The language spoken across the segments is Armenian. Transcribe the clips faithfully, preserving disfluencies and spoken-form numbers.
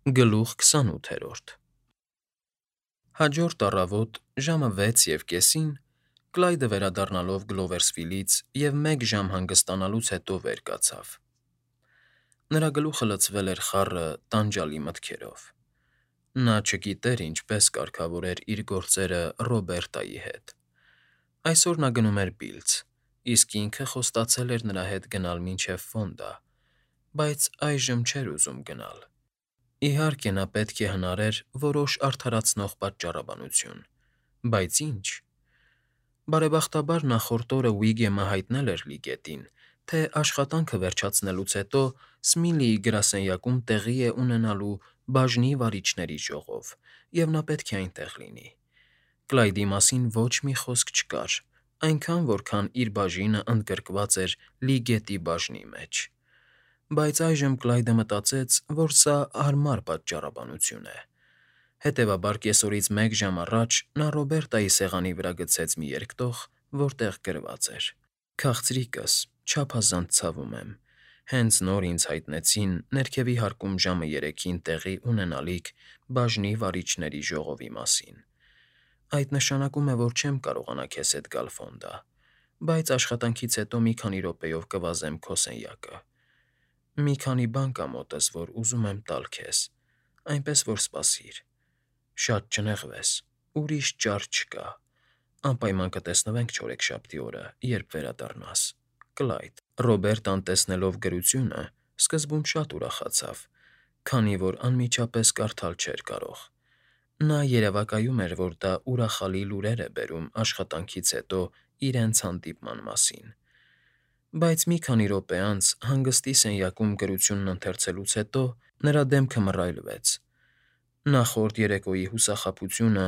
Գլուխ քսանութերորդ Հաջորդ առավոտ ժամը վեց և կեսին Կլայդը վերադառնալով Գլովերսվիլից և մեկ ժամ հանգստանալուց հետո վեր կացավ. նրա գլուխը լցվել էր խառը տանջալի մտքերով. նա չգիտեր ինչպես կարգավորեր իր գործերը Ռոբերտայի հետ. այսօր նա գնում էր Բիլձ, իսկ ինքը խոստացել էր նրա հետ գնալ մինչև Ֆոնդա, բայց այժմ չէր ուզում գնալ. իհարկե նա պետք է հնարեր որոշ արդարացնող պատճառաբանություն, բայց ի՞նչ. Բարեբախտաբար նախորդ օրը Ուիգեմը հայտնել էր Լիգետին, թե աշխատանքը վերջացնելուց հետո Սմիլիի գրասենյակում տեղի է ունենալու բաժնի վարիչների ժողով, և նա պետք է այնտեղ լինի. Կլայդի մասին ոչ մի խոսք չկար, այնքան, որքան իր բաժինը ընդգրկված էր Լիգետի բաժնի մեջ. Բայց այժմ Կլայդը մտածեց, որ սա հարմար պատճառաբանություն է. հետևաբար կեսօրից մեկ ժամ առաջ նա Ռոբերտայի սեղանի վրա գցեց մի երկտող, որտեղ գրված էր. «Քաղցրիկս, չափազանց ցավում եմ. հենց նոր ինձ հայտնեցին ներքևի հարկում ժամը երեքին տեղի ունենալիք բաժնի վարիչների ժողովի մասին. այդ նշանակում է, որ չեմ կարողանա քեզ հետ գալ Ֆոնդա, բայց աշխատանքից հետո մի քանի րոպեով կվազեմ քո սենյակը. մի քանի բան կա մոտս, որ ուզում եմ տալ քեզ, այնպես որ սպասիր. շատ չնեղվես, ուրիշ ճար չկա, անպայման կտեսնվենք չորեքշաբթի օրը, երբ վերադառնաս. Կլայդ»։ Ռոբերտան տեսնելով գրությունը, սկզբում շատ ուրախացավ, քանի որ անմիջապես կարդալ չէր կարող. նա երևակայում էր, որ դա ուրախալի լուրեր է բերում աշխատանքից հետո իրենց հանդիպման մասին. Բայց մի քանի րոպե անց, հանգստի սենյակում գրությունն ընթերցելուց հետո, նրա դեմքը մռայլվեց. նախորդ երեկոյի հուսախաբությունը,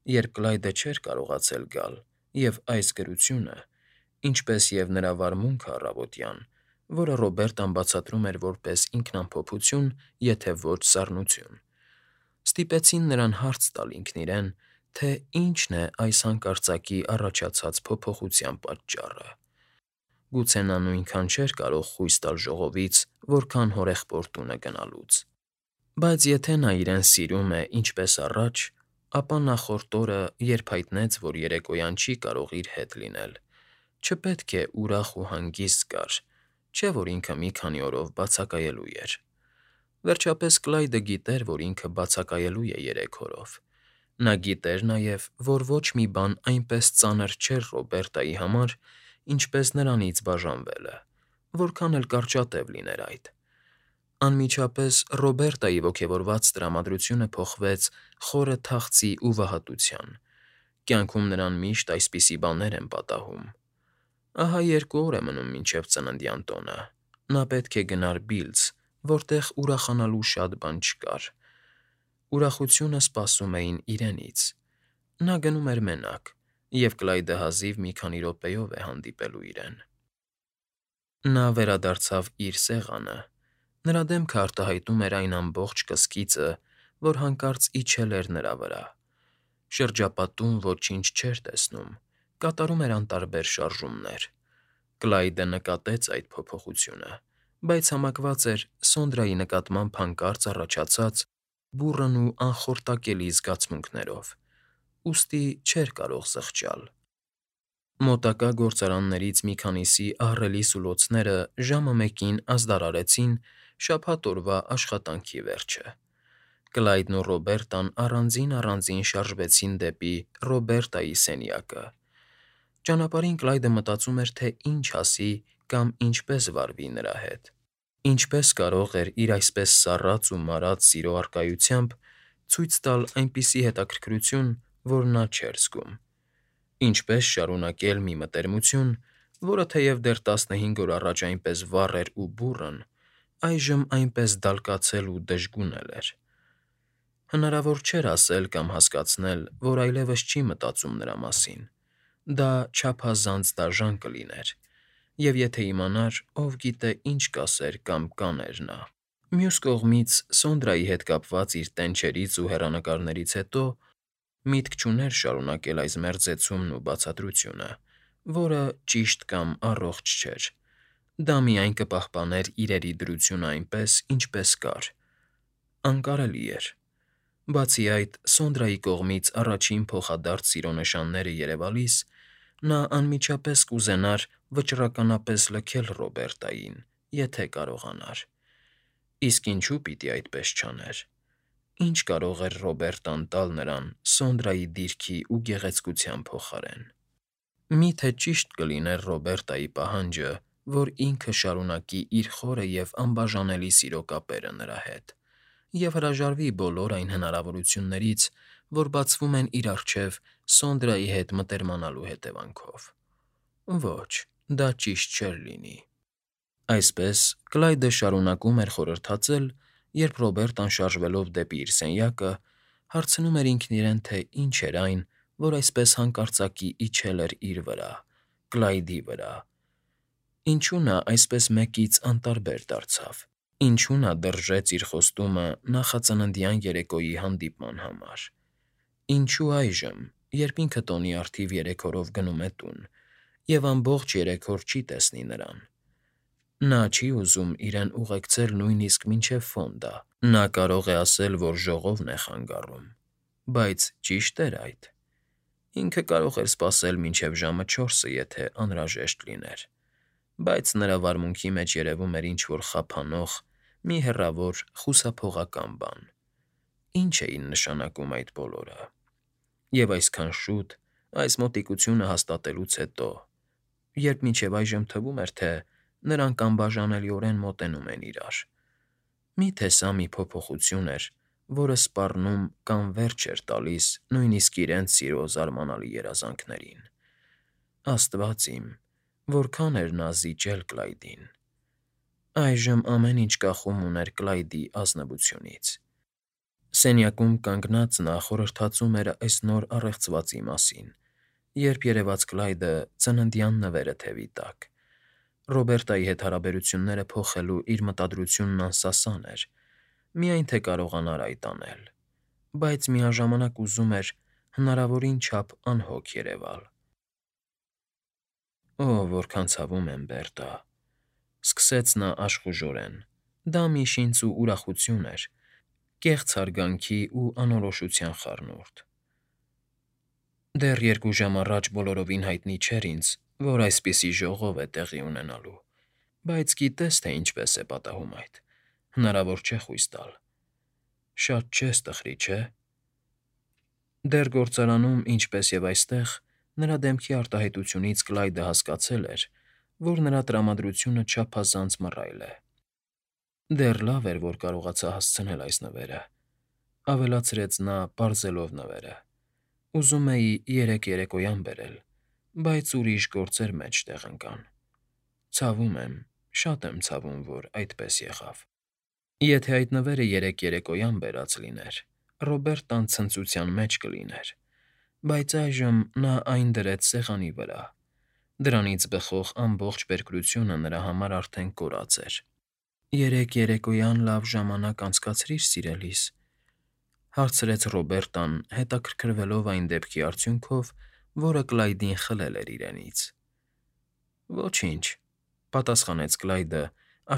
երբ Կլայդը չէր կարողացել գալ, և այս գրությունը, ինչպես և նրա վարմունքը առավոտյան, որը Ռոբերտան բացատրում էր որպես ինքնամփոփություն, եթե ոչ սառնություն, ստիպեցին նրան հարց տալ ինքն իրեն, թե ինչն է այս հանկարծակի առաջացած փոփոխության պատճառը. գուցե նա նույնքան չէր կարող խույս տալ ժողովից, որքան հորեղբոր տունը գնալուց. բայց եթե նա իրեն սիրում է ինչպես առաջ, ապա նախորդ օրը, երբ հայտնեց, որ երեկոյան չի կարող իր հետ լինել, չպետք է ուրախ ու հանգիստ զգար, չէ՞ որ ինքը մի քանի օրով բացակայելու էր. վերջապես Կլայդը գիտեր, որ ինքը բացակայելու է երեք օրով. նա գիտեր նաև, որ ոչ մի բան այնպես ծանր չէր Ռոբերտայի համար, ինչպես նրանից բաժանվելը, որքան էլ կարճատև լիներ այդ. Անմիջապես Ռոբերտայի ոգևորված տրամադրությունը փոխվեց խորը թախծի ու վհատության. կյանքում նրան միշտ այսպիսի բաներ են պատահում. ահա երկու օր է մնում մինչև ծննդյան տոնը, նա պետք է գնար Բիլձ, որտեղ ուրախանալու շատ բան չկար. ուրախությունը սպասում էին իրենից. նա գնում էր մենակ, և Կլայդը հազիվ մի քանի րոպեով է հանդիպելու իրեն. Նա վերադարձավ իր սեղանը. նրա դեմքը արտահայտում էր այն ամբողջ կսկիծը, որ հանկարծ իջել էր նրա վրա. շրջապատում ոչինչ չէր տեսնում, կատարում էր անտարբեր շարժումներ. Կլայդը նկատեց այդ փոփոխությունը, բայց համակված էր Սոնդրայի նկատմամբ հանկարծ առաջացած բուռն ու անխորտակելի զգացմունքներով, ուստի չէր կարող զղջալ. Մոտակա գործարաններից մի քանիսի ահռելի սուլոցները ժամը մեկին ազդարարեցին շաբաթ օրվա աշխատանքի վերջը. Կլայդն ու Ռոբերտան առանձին֊առանձին շարժվեցին դեպի Ռոբերտայի սենյակը. ճանապարհին Կլայդը մտածում էր, թե ինչ ասի կամ ինչպես վարվի նրա հետ. ինչպես կարող էր իր այսպես սառած ու մարած սիրո առկայությամբ ցույց տալ այնպիսի հետաքրքրություն, որ նա չէր զգում. ինչպես շարունակել մի մտերմություն, որը թեև դեռ տասնհինգ օր առաջ այնպես վառ էր ու բուռն, այժմ այնպես դալկացել ու դժգունել էր. հնարավոր չէր ասել կամ հասկացնել, որ այլևս չի մտածում նրա մասին. դա չափազանց դաժան կլիներ, և եթե իմանար, ով գիտե ինչ կասեր կամ կաներ նա. Մյուս կողմից, Սոնդրայի հետ կապված իր տենչերից ու հեռանկարներից հետո միտք չուներ շարունակել այս մերձեցումն ու բացատրությունը, որը ճիշտ կամ առողջ չէր. դա միայն կպահպաներ իրերի դրությունը այնպես, ինչպես կար, Անկարելի էր։ Բացի այդ, Սոնդրայի կողմից առաջին փոխադարձ սիրո նշանները երևալիս, նա անմիջապես կուզենար վճռականապես լքել Ռոբերտային, եթե կարողանար։ Իսկ ինչու պիտի այդպես չաներ։ Ինչ կարող էր Ռոբերտան տալ նրան Սոնդրայի դիրքի ու գեղեցկության փոխարեն։ Մի՞թե ճիշտ կլիներ Ռոբերտայի պահանջը, որ ինքը շարունակի իր խորը և անբաժանելի սիրո կապերը նրա հետ և հրաժարվի բոլոր այն հնարավորություններից, որ բացվում են իր առջև Սոնդրայի հետ մտերմանալու հետևանքով։ Ոչ, դա ճիշտ չէր լինի։ Այսպես Կլայդը շարունակում էր խորհրդածել, երբ Ռոբերտան շարժվելով դեպի իր սենյակը, հարցնում էր ինքն իրեն, թե ինչ էր այն, որ այսպես հանկարծակի իջել էր իր վրա, Կլայդի վրա։ Ինչու նա այսպես մեկից անտարբեր դարձավ։ Ինչու նա դրժեց իր խոստումը նախածննդյան երեկոյի հանդիպման համար։ Ինչու այժմ, երբ ինքը տոնի առթիվ երեք օրով գնում է տուն, և ամբողջ երեք օր չի տեսնի նրան։ Նա չի ուզում իրեն ուղեկցել նույնիսկ մինչև Ֆոնդա։ Նա կարող է ասել, որ ժողովն է խանգարում, բայց ճի՞շտ էր այդ։ Ինքը կարող էր սպասել մինչև ժամը չորսը, եթե անհրաժեշտ լիներ, բայց նրա վարմունքի մեջ երևում էր ինչ֊որ խափանող, մի հեռավոր խուսափողական բան։ Ինչ էին նշանակում այդ բոլորը։ Եվ այսքան շուտ, այս մոտիկությունը հաստատելուց հետո, երբ մինչև այժմ թվում էր, թե նրանք անբաժանելիորեն մոտենում են իրար։ Մի՞թե սա մի փոփոխություն էր, որը սպառնում կամ վերջ էր տալիս նույնիսկ իրենց սիրո զարմանալի երազանքներին։ Աստված իմ, որքան էր նա զիջել Կլայդին։ Այժմ ամեն ինչ կախում ուներ Կլայդի ազնվությունից։ Սենյակում կանգնած նա խորհրդածում էր այս նոր առեղծվածի մասին, երբ երևաց Կլայդը ծննդյան նվերը թևի տակ։ Ռոբերտայի հետ հարաբերությունները փոխելու իր մտադրությունն անսասան էր, միայն թե կարողանար այդ անել, բայց միաժամանակ ուզում էր հնարավորին չափ անհոգ երևալ։ «Օ՜, որքան ցավում եմ, Բերտա,֊ սկսեց նա աշխուժորեն։ Դա միջինց ու ուրախություն էր, կեղծ հարգանքի ու անորոշության խառնուրդ։ Դեռ երկու ժամ առաջ բոլորովին հայտնի չէր ինձ, որ այսպիսի ժողով է տեղի ունենալու, բայց գիտես, թե ինչպես է պատահում այդ, հնարավոր չէ խույս տալ։ Շատ չես տխրի, չէ՞։ Դեռ գործարանում, ինչպես և այստեղ, նրա դեմքի արտահայտությունից Կլայդը հասկացել էր, որ նրա տրամադրությունը չափազանց մռայլ է։ Դեռ լավ էր, որ կարողացա հասցնել այս նվերը,֊ ավելացրեց նա, պարզելով նվերը։ Ուզում էի երեկ երեկոյան բերել, բայց ուրիշ գործեր մեջտեղ ընկան։ Ցավում եմ, շատ եմ ցավում, որ այդպես եղավ։ Եթե այդ նվերը երեկ երեկոյան բերած լիներ, Ռոբերտան ցնծության մեջ կլիներ, բայց այժմ նա այն դրեց սեղանի վրա։ Դրանից բխող ամբողջ պերկրությունը նրա համար արդեն կորած էր։ «Երեկ երեկոյան լավ ժամանակ անցկացրի՞ր, սիրելիս,֊ հարցրեց Ռոբերտան, հետաքրքրվելով այն դեպքի արդյունքով, որը Կլայդին խլել էր իրենից։ «Ոչինչ,֊ պատասխանեց Կլայդը,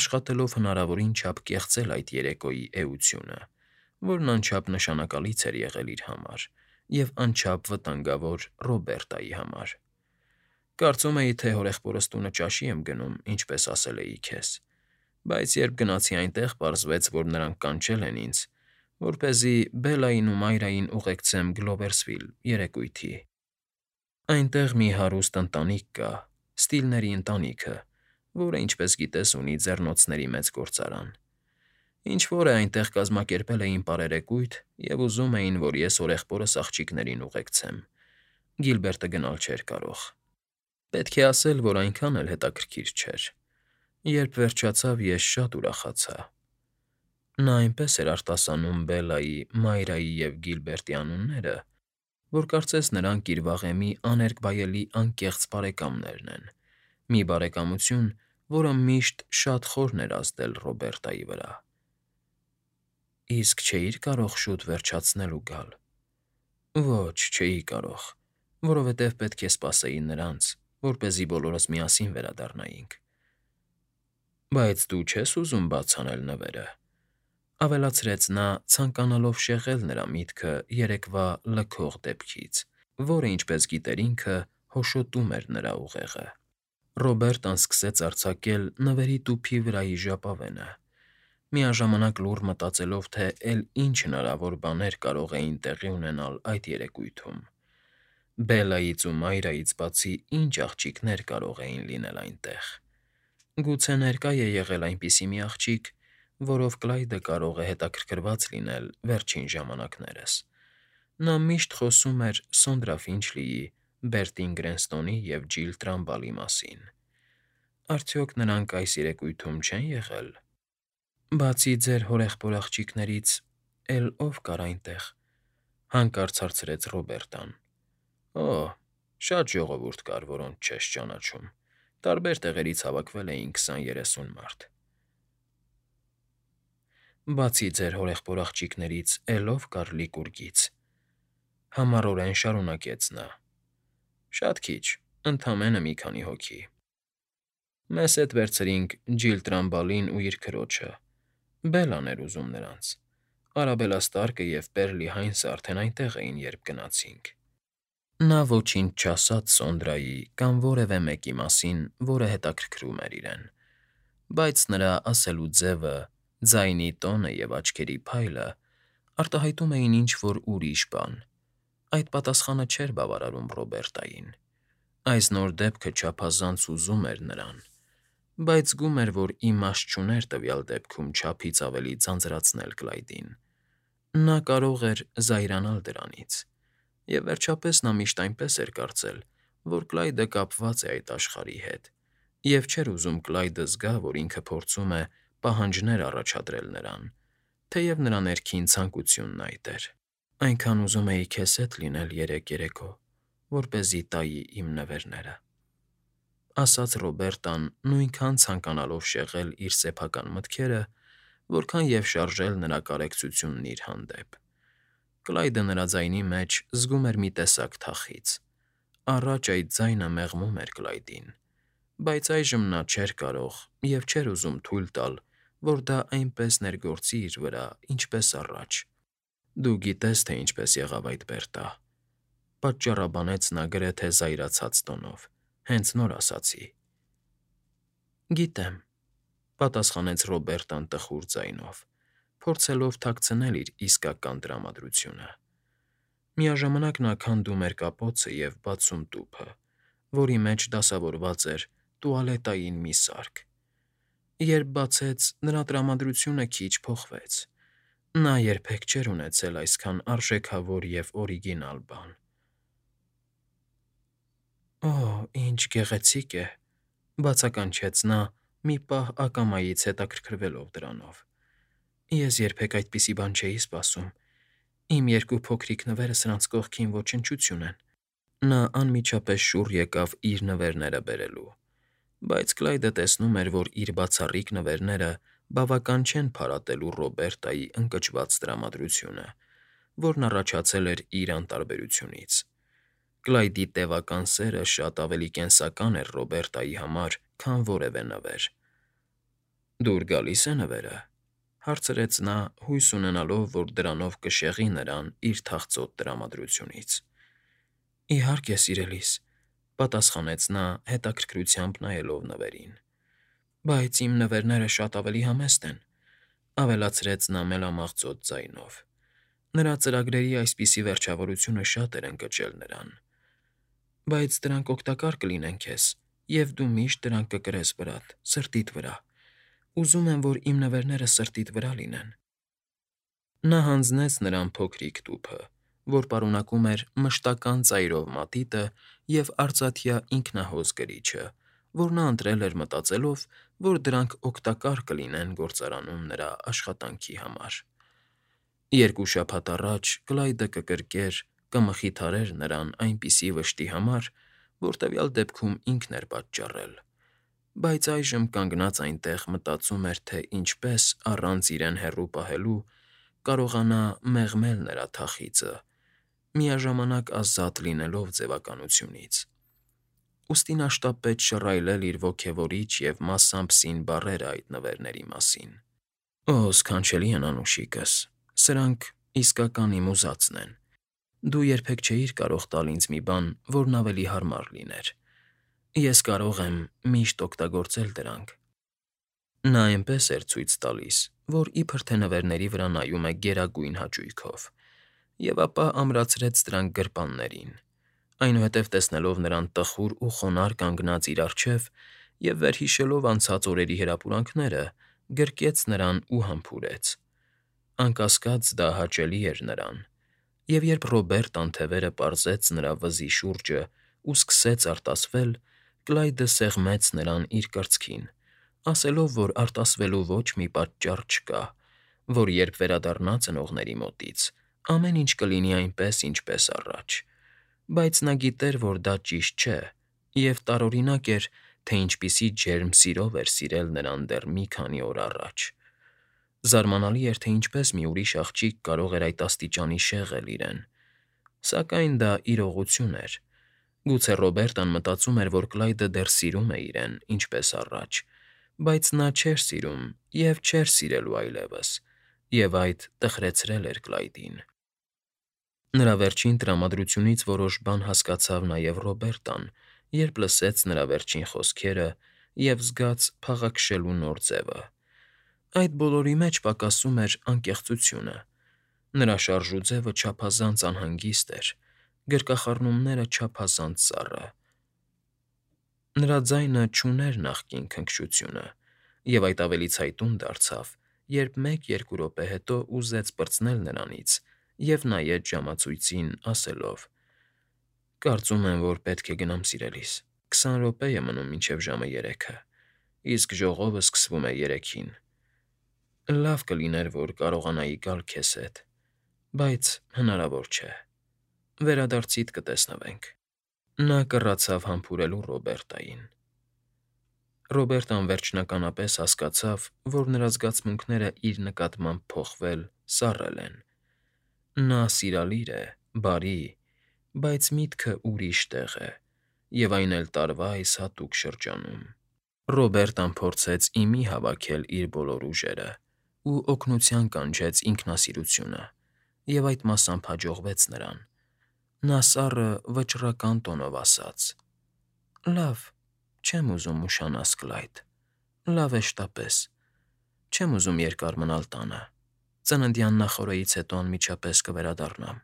աշխատելով հնարավորին չափ կեղծել այդ երեկոյի էությունը, որն անչափ նշանակալից էր եղել իր համար և անչափ վտանգավոր Ռոբերտայի համար։ Կարծում էի, թե հորեղբորս տունը ճաշի եմ գնում, ինչպես ասել էի քեզ, բայց երբ գնացի այնտեղ, պարզվեց, որ նրանք կանչել են ինձ, որպեսզի Բելլային ու Մայրային ուղեկցեմ Գլովերսվիլ երեկույթի։ Այնտեղ մի հարուստ ընտանիք կա, Ստիլների ընտանիքը, որը, ինչպես գիտես, ունի ձեռնոցների մեծ գործարան։ Ինչ֊որ է այնտեղ կազմակերպել էին պարերեկույթ և ուզում էին, որ ես հորեղբորս աղջիկներին ուղեկցեմ։ Գիլբերտը գնալ չէր կարող։ Պետք է ասել, որ այնքան էլ հետաքրքիր չէր։ Երբ վերջացավ, ես շատ ուրախացա։ Նա այնպես էր արտասանում Բելլայի, Մայրայի և Գիլբերտի անունները, որ կարծես նրանք իր վաղեմի աներկբայելի անկեղծ բարեկամներն են, մի բարեկամություն, որը միշտ շատ խորն էր ազդել Ռոբերտայի վրա։ Իսկ չէի՞ր կարող շուտ վերջացնել ու գալ։ Ոչ, չէի կարող, որովհետև պետք է սպասեի նրանց, որպեսզի բոլորս միասին վերադառնայինք։ Բայց դու չես ուզում բաց անել նվերը։ Ավելացրեց նա, ցանկանալով շեղել նրա միտքը երեկվա լքող դեպքից, որը, ինչպես գիտեր ինքը, հոշոտում էր նրա ուղեղը։ Ռոբերտան սկսեց արձակել նվերի տուփի վրայի ժապավենը, միաժամանակ լուռ մտածելով, թե էլ ինչ հնարավոր բաներ կարող էին տեղի ունենալ այդ երեկույթում։ Բելայից ու Մայրայից բացի ինչ աղջիկներ կարող էին լինել այնտեղ։ Գուցե ներկա է եղել այնպիսի մի աղջիկ, որով Կլայդը կարող է հետաքրքրված լինել վերջին ժամանակներս։ Նա միշտ խոսում էր Սոնդրա Ֆինչլիի, Բերտին Գրենստոնի և Ջիլ Տրամբալի մասին։ Արդյոք նրանք այս երեկույթում չեն եղել։ Բացի ձեր հորեղբոր աղջիկներից, էլ ով կար այնտեղ, հանկարծ հարցրեց Ռոբերտան։ Օ, շատ ժողովուրդ կար, որոնց չես ճանաչում։ Տարբեր տեղերից հավաքվել էին քսան֊երեսուն մարդ։ Բացի ձեր հորեղբոր աղջիկներից, էլ ով կար Լիկուրգից, համառորեն շարունակեց նա։ Շատ քիչ, ընդամենը մի քանի հոգի։ Մեզ հետ վերցրինք Ջիլ Տրամբալին ու իր քրոջը, Բելլան էր ուզում նրանց։ Արաբելլա Ստարկը և Պերլի Հայնսը արդեն այնտեղ էին, երբ գնացինք։ Նա ոչինչ չասաց Սոնդրայի կամ որևէ մեկի մասին, որը հետաքրքրում էր իրեն, բայց նրա ասելու ձևը, ձայնի տոնը և աչքերի փայլը արտահայտում էին ինչ֊որ ուրիշ բան։ Այդ պատասխանը չէր բավարարում Ռոբերտային։ Այս նոր դեպքը չափազանց ուզում էր նրան, բայց զգում էր, որ իմաստ չուներ տվյալ դեպքում չափից ավելի ձանձրացնել Կլայդին։ Նա կարող էր զայրանալ դրանից։ Եվ վերջապես նա միշտ այնպես էր կարծել, որ Կլայդը կապված է այդ աշխարհի հետ, և չէր ուզում Կլայդը զգա, որ ինքը փորձում է պահանջներ առաջադրել նրան, թեև նրա ներքին ցանկությունն այդ էր։ Այնքան ուզում էի քեզ հետ լինել երեկ երեկո, որպեսզի տայի իմ նվերները, ասաց Ռոբերտան, նույնքան ցանկանալով շեղել իր սեփական մտքերը, որքան և շարժել նրա կարեկցությունն իր հանդեպ։ Կլայդը նրա ձայնի մեջ զգում էր մի տեսակ թախիծ։ Առաջ այդ ձայնը մեղմում էր Կլայդին, բայց այժմ նա չէր կարող և չէր ուզում թույլ տալ, որ դա այնպես ներգործի իր վրա, ինչպես առաջ։ Դու գիտես, թե ինչպես եղավ այդ Բերտա,֊ պատճառաբանեց նա գրեթե զայրացած տոնով, հենց նոր ասացի։ Գիտեմ,֊ պատասխանեց Ռոբերտան տխուր ձայնով, փորձելով թաքցնել իր իսկական տրամադրությունը։ Միաժամանակ նա քանդում էր կապոցը և բացում տուփը, որի մեջ դասավորված էր տուալետային մի սարք։ Երբ բացեց, նրա տրամադրությունը քիչ փոխվեց։ Նա երբեք չէր ունեցել այսքան արժեքավոր և օրիգինալ բան։ Օ, ինչ գեղեցիկ է,֊ բացականչեց նա, մի պահ ակամայից հետաքրքրվելով դրանով։ Ես երբեք այդպիսի բան չէի սպասում։ Իմ երկու փոքրիկ նվերը սրանց կողքին ոչնչություն են։ Նա անմիջապես շուռ եկավ իր նվերները բերելու, բայց Կլայդը տեսնում էր, որ իր բացառիկ նվերները բավական չեն փարատելու Ռոբերտայի ընկճված տրամադրությունը, որն առաջացել էր իր անտարբերությունից։ Կլայդի տևական սերը շատ ավելի կենսական էր Ռոբերտայի համար, քան որևէ նվեր։ Դուր գալի՞ս է նվերը,֊ հարցրեց նա, հույս ունենալով, որ դրանով կշեղի նրան իր թախծոտ տրամադրությունից։ Իհարկե, սիրելիս,֊ պատասխանեց նա, հետաքրքրությամբ նայելով նվերին։ Բայց իմ նվերները շատ ավելի համեստ են,֊ ավելացրեց նա մելամաղձոտ ձայնով։ Նրա ծրագրերի այսպիսի վերջավորությունը շատ էր ընկճել նրան։ Բայց դրանք օգտակար կլինեն քեզ, և դու միշտ դրանք կկրես վրադ, սրտիդ վրա։ Ուզում եմ, որ իմ նվերները սրտիդ վրա լինեն։ Նա հանձնեց նրան փոքրիկ տուփը, որ պարունակում էր մշտական ծայրով մատիտը և արծաթյա ինքնահոս գրիչը, որ նա ընտրել էր մտածելով, որ դրանք օգտակար կլինեն գործարանում նրա աշխատանքի համար։ Երկու շաբաթ առաջ Կլայդը կկրկեր, կմխիթարեր նրան այնպիսի վշտի համար, որ տվյալ դեպքում ինքն էր պատճառել, բայց այժմ կանգնած այնտեղ մտածում էր, թե ինչպես, առանց իրեն հեռու պահելու, կարողանա մեղմել նրա թախիծը, միաժամանակ ազատ լինելով ձևականությունից։ Ուստի նա շտապեց շռայլել իր ոգևորիչ և մասամբ սին բառերը այդ նվերների մասին։ Օ, սքանչելի են անուշիկս, սրանք իսկական իմ ուզածն են։ Դու երբեք չէիր կարող տալ ինձ մի բան, որն ավելի հարմար լիներ։ Ես կարող եմ միշտ օգտագործել դրանք։ Նա այնպես էր ցույց տալիս, որ իբր թե նվերների վրա նայում է գերագույն հաճույքով, և ապա ամրացրեց դրանք գրպաններին, այնուհետև տեսնելով նրան տխուր ու խոնարհ կանգնած իր առջև և վերհիշելով անցած օրերի հրապուրանքները, գրկեց նրան ու համբուրեց։ Անկասկած դա հաճելի էր նրան, և երբ Ռոբերտան թևերը պարզեց նրա վզի շուրջն ու սկսեց արտասվել, Կլայդը սեղմեց նրան իր կրծքին, ասելով, որ արտասվելու ոչ մի պատճառ չկա, որ երբ վերադառնա ծնողների մոտից, ամեն ինչ կլինի այնպես, ինչպես առաջ, բայց նա գիտեր, որ դա ճիշտ չէ, և տարօրինակ էր, թե ինչպիսի ջերմ սիրով էր սիրել նրան դեռ մի քանի օր առաջ։ Զարմանալի էր, թե ինչպես մի ուրիշ աղջիկ կարող էր այդ աստիճանի շեղել իրեն, սակայն դա իրողություն էր։ Գուցե Ռոբերտան մտածում էր, որ Կլայդը դեռ սիրում է իրեն, ինչպես առաջ, բայց նա չէր սիրում և չէր սիրելու այլևս, և այդ տխրեցրել էր Կլայդին։ Նրա վերջին տրամադրությունից որոշ բան հասկացավ նաև Ռոբերտան, երբ լսեց նրա վերջին խոսքերը և զգաց փաղաքշելու նոր ձևը։ Այդ բոլորի մեջ պակասում էր անկեղծությունը։ Նրա շարժուձևը չափազանց անհանգիստ էր, գրկախառնումները չափազանց սառը։ Նրա ձայնը չուներ նախկին քնքշությունը, և այդ ավելի ցայտուն դարձավ, երբ մեկ֊երկու րոպե հետո ուզեց պրծնել նրանից և նայեց ժամացույցին, ասելով. «Կարծում եմ, որ պետք է գնամ, սիրելիս, քսան րոպե է մնում մինչև ժամը երեքը, իսկ ժողովը սկսվում է երեքին։ Լավ կլիներ, որ կարողանայի գալ քեզ հետ, բայց հնարավոր չէ։ Վերադարձիդ կտեսնվենք»։ Նա կռացավ համբուրելու Ռոբերտային։ Ռոբերտան վերջնականապես հասկացավ, որ նրա զգացմունքները իր նկատմամբ փոխվել, սառել են։ Նա սիրալիր է, բարի, բայց միտքը ուրիշ տեղ է, և այն էլ տարվա այս հատուկ շրջանում։ Ռոբերտան փորձեց ի մի հավաքել իր բոլոր ուժերը ու օգնության կանչեց ինքնասիրությունը, և այդ մասամբ հաջողվեց նրան։ Նա սառը, վճռական տոնով ասաց. «Լավ, չեմ ուզում ուշանաս, Կլայդ, լավ է շտապես, չեմ ուզում երկար մնալ տանը, ծննդյան նախօրեից հետո անմիջապես կվերադառնամ։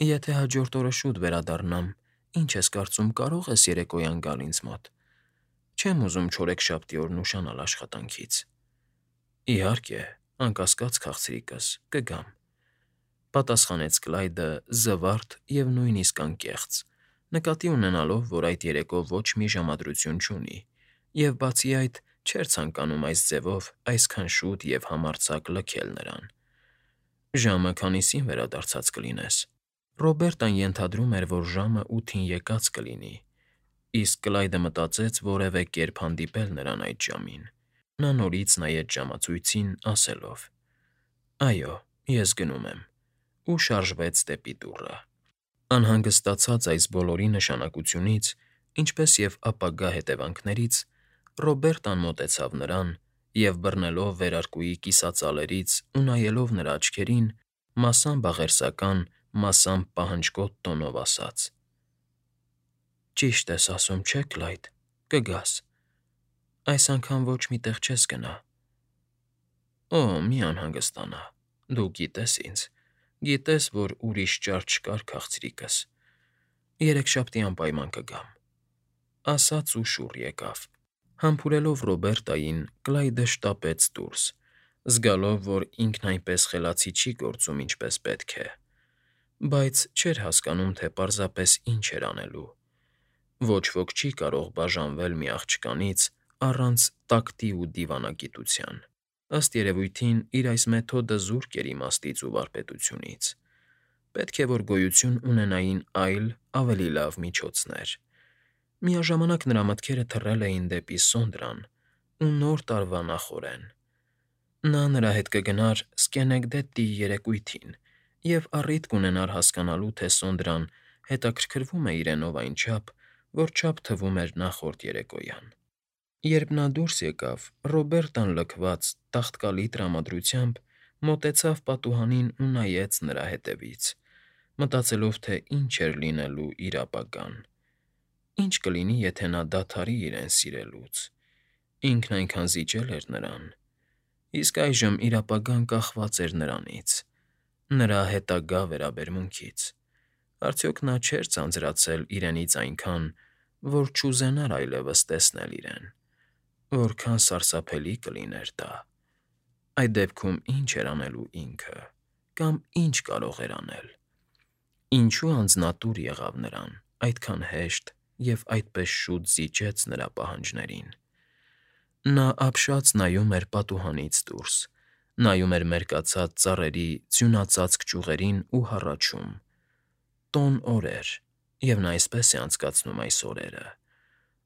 Եթե հաջորդ օրը շուտ վերադառնամ, ինչ ես կարծում, կարո՞ղ ես երեկոյան գալ ինձ մոտ։ Չեմ ուզում չորեքշաբթի օրն ուշանալ աշխատանքից»։ «Իհարկե, անկասկած, քաղցրիկս, կգամ», պատասխանեց Կլայդը զվարթ և նույնիսկ անկեղծ, նկատի ունենալով, որ այդ երեկո ոչ մի ժամադրություն չունի, և բացի այդ, չէր ցանկանում այս ձևով այսքան շուտ և համարձակ լքել նրան։ «Ժամը քանիսին վերադարձած կլինես»։ Ռոբերտան ենթադրում էր, որ ժամը ութին եկած կլինի, իսկ Կլայդը մտածեց որևէ կերպ հանդիպել նրան այդ ժամին։ Նա նորից նայեց ժամացույցին, ասելով. «Այո, ես գնում եմ», ու շարժվեց դեպի դուռը։ Անհանգստացած այս բոլորի նշանակությունից, ինչպես և ապագա հետևանքներից, Ռոբերտան մոտեցավ նրան և, բռնելով վերարկուի կիսածալերից ու նայելով նրա աչքերին, մասամբ աղերսական, մասամբ պահնջկոտ տոնով ասաց. «Ճիշտ ես ասում, չէ՞, Կլայդ, կգաս։ Այս անգամ ոչ մի տեղ չես գնա»։ «Օ, մի անհանգստանա, դու գիտես ինձ, գիտես, որ ուրիշ ճար չկար, քաղցրիկս։ Երեքշաբթի անպայման կգամ», ասաց ու շուռ եկավ։ Համբուրելով Ռոբերտային՝ Կլայդը շտապեց դուրս, զգալով, որ ինքն այնպես խելացի չի գործում, ինչպես պետք է, բայց չէր հասկանում, թե պարզապես ինչ էր անելու։ Ոչ ոք չի կարող բաժանվել մի աղջկանից առանց տակտի ու դիվանագիտության։ Ըստ երևույթին, իր այս մեթոդը զուրկ էր իմաստից ու վարպետությունից։ Պետք է որ գոյություն ունենային այլ, ավելի լավ միջոցներ։ Միաժամանակ նրա մտքերը թռել էին դեպի Սոնդրան ու Նոր տարվա նախօրեն։ Նա նրա հետ կգնար Սկենեգդետի երեկույթին և առիթ կունենար հասկանալու, թե Սոնդրան հետաքրքրվում է իրենով այնչափ, որչափ թվում էր նախորդ երեկոյան։ Երբ նա դուրս եկավ, Ռոբերտան լքված, տաղտկալի տրամադրությամբ մոտեցավ պատուհանին ու նայեց նրա ետևից, մտածելով, թե ինչ էր լինելու իր ապագան։ Ինչ կլինի, եթե նա դադարի իրեն սիրելուց։ Ինքն այնքան զիջել էր նրան։ Իսկ այժմ իր ապագան կախված էր նրանից, նրա հետագա վերաբերմունքից։ Արդյոք նա չէր ձանձրացել իրենից այնքան, որ չուզենար այլևս տեսնել իրեն։ Որքան սարսափելի կլիներ դա։ Այդ դեպքում ի՞նչ էր անելու ինքը, կամ ի՞նչ կարող էր անել։ Ինչու անձնատուր եղավ նրան, այդքան հեշտ և այդպես շուտ զիջեց նրա պահանջներին։ Նա ապշած նայում էր պատուհանից դուրս, նայում էր մերկացած ծառերի ձյունածածկ ճյուղերին ու հառաչում. տոն օր էր, և նա այսպես է անցկացնում այս օրերը։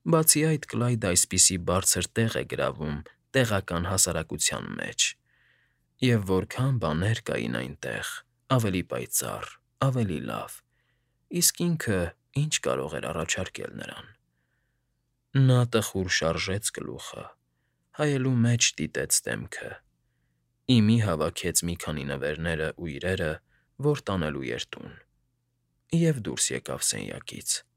Բացի այդ, Կլայդը այսպիսի բարձր տեղ է գրավում տեղական հասարակության մեջ։ Եվ որքա՜ն բաներ կային այնտեղ, ավելի պայծառ, ավելի լավ, իսկ ինքը ի՞նչ կարող էր առաջարկել նրան։ Նա տխուր շարժեց գլուխը, հայելու մեջ դիտեց դեմքը, ի մի հավաքեց մի քանի նվերներն ու իրերը, որ տանելու էր տուն, և դուրս եկավ սենյակից։